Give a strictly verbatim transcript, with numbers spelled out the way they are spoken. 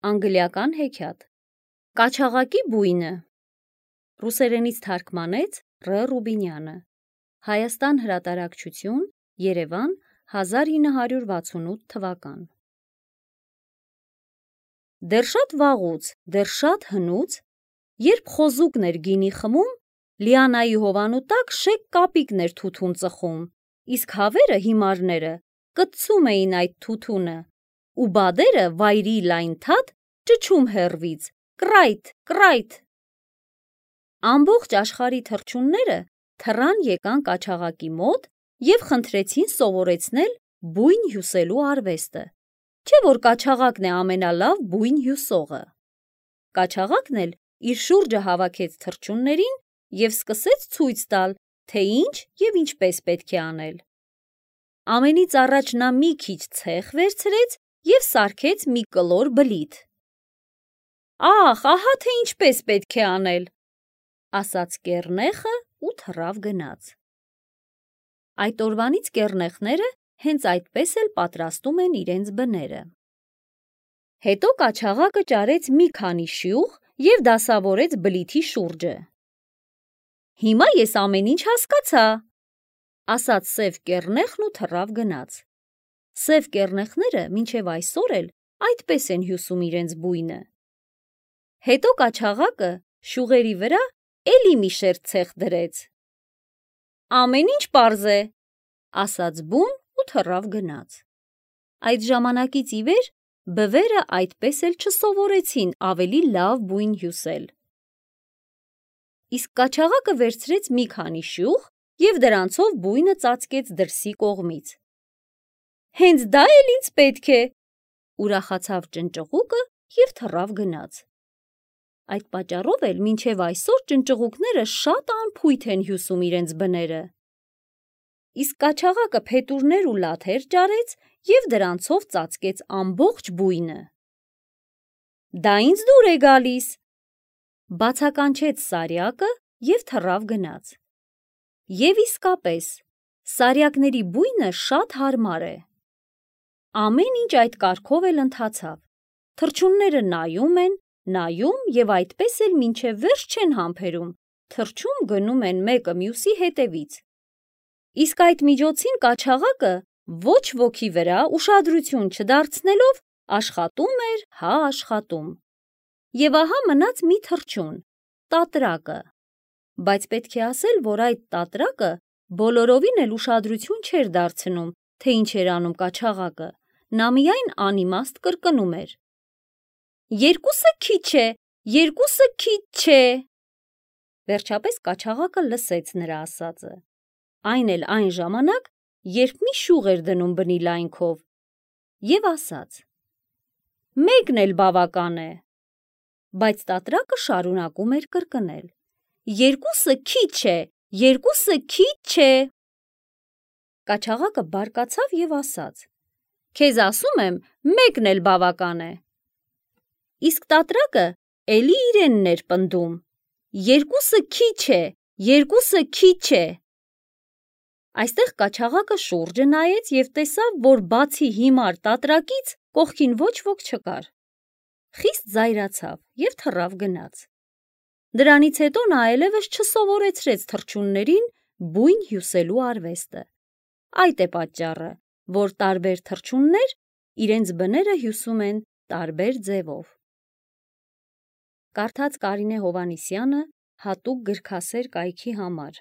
Անգլիական հեքիաթ։ Կաչաղակի բույնը։ Ռուսերենից թարգմանեց Ռ. Ռուբինյանը։ Հայաստան հրատարակչություն, Երևան, հազար ինը հարյուր վաթսունութ թվական։ Դեռ շատ վաղուց, դեռ շատ հնուց, երբ խոզուկն էր գինի խմում, Լիանայի հովանու տակ շեկ կապիկն էր թութուն ծխում, իսկ հավերը հիմարները կտցում էին այդ թութունը, ու բադերը վայրի լայն թաթ ճչում հեռվից, կռայթ, կռայթ։ Ամբողջ աշխարհի թռչունները թռան եկան կաչաղակի մոտ և խնդրեցին սովորեցնել բույն հյուսելու արվեստը, չէ՞ որ կաչաղակն է ամենալավ բույն հյուսողը։ Կաչաղակն էլ իր շուրջը հավաքեց թռչուններին և սկսեց ցույց տալ, թե ինչ և ինչպես պետք է անել։ Ամենից առաջ նա մի քիչ ցեխ վերցրեց և սարքեց մի կլոր բլիթ։ «Ախ, ահա թե ինչպես պետք է անել», ասաց կեռնեխը ու թռավ գնաց։ Այդ օրվանից կեռնեխները հենց այդպես էլ պատրաստում են իրենց բները։ Հետո կաչաղակը ճարեց մի քանի շյուղ և դասավորեց բլիթի շուրջը։ «Հիմա ես ամեն ինչ հասկացա», ասաց սև կեռնեխն ու թռավ գնաց։ Սև կեռնեխները մինչև այսօր էլ այդպես են հյուսում իրենց բույնը։ Հետո կաչաղակը շյուղերի վրա էլի մի շերտ ցեխ դրեց։ «Ամեն ինչ պարզ է», ասաց բուն ու թռավ գնաց։ Այդ ժամանակից ի վեր բվերը այդպես էլ չսովորեցին ավելի լավ բույն հյուսել։ Իսկ կաչաղակը վերցրեց մի քանի շյուղ և դրանցով բույնը ծածկեց դրսի կողմից։ «Հենց դա էլ ինձ պետք է», ուրախացավ ճնճղուկը և թռավ գնաց։ Այդ պատճառով էլ մինչև այսօր ճնճղուկները շատ անփույթ են հյուսում իրենց բները։ Իսկ կաչաղակը փետուրներ ու լաթեր ճարեց և դրանցով ծածկեց ամբողջ բույնը։ «Դա ինձ դուր է գալիս», բացականչեց Սարյակը և թռավ գնաց։ Եվ իսկապես, սարյակների բույնը շատ հարմար է։ Ամեն ինչ այդ կարգով էլ ընթացավ։ Թռչունները նայում են, նայում և այդպես էլ մինչև վերջ չեն համբերում, թռչում գնում են մեկը մյուսի հետևից։ Իսկ այդ միջոցին կաչաղակը ոչ ոքի վրա ուշադրություն չդարձնելով աշխատում էր հա աշխատում։ Եվ ահա մնաց մի թռչուն՝ տատրակը։ Բայց պետք է ասել, որ այդ տատրակը բոլորովին էլ ուշադրություն չէր դարձնում, թե ինչ էր անում կաչաղակը, նա միայն անիմաստ կրկնում էր. «Երկուսը քիչ է, երկուսը քիչ չէ»։ Վերջապես կաչաղակը լսեց նրա ասածը, այն էլ այն ժամանակ, երբ մի շյուղ էր դնում բնի լայնքով, և ասաց. «Մեկն էլ բավական է»։ Բայց տատրակը շարունակում էր կրկնել. «Երկուսը քիչ է, երկուսը քիչ չէ»։ Կաչաղակը բարկացավ և ասաց. «Քեզ ասում եմ, մեկն էլ բավական է»։ Իսկ տատրակը էլի իրենն էր պնդում. «Երկուսը քիչ է, երկուսը քիչ է»։ Այստեղ կաչաղակը շուրջը նայեց և տեսավ, որ բացի հիմար տատրակից կողքին ոչ ոք չկար։ Խիստ զայրացավ և թռավ գնաց։ Դրանից հետո նա այլևս չսովորեցրեց թռչուններին բույն հյուսելու արվեստը։ Այդ է պատճառը, որ տարբեր թռչուններ իրենց բները հյուսում են տարբեր ձևով։ Կարդաց Կարինե Հովհաննիսյանը հատուկ գրքասեր կայքի համար։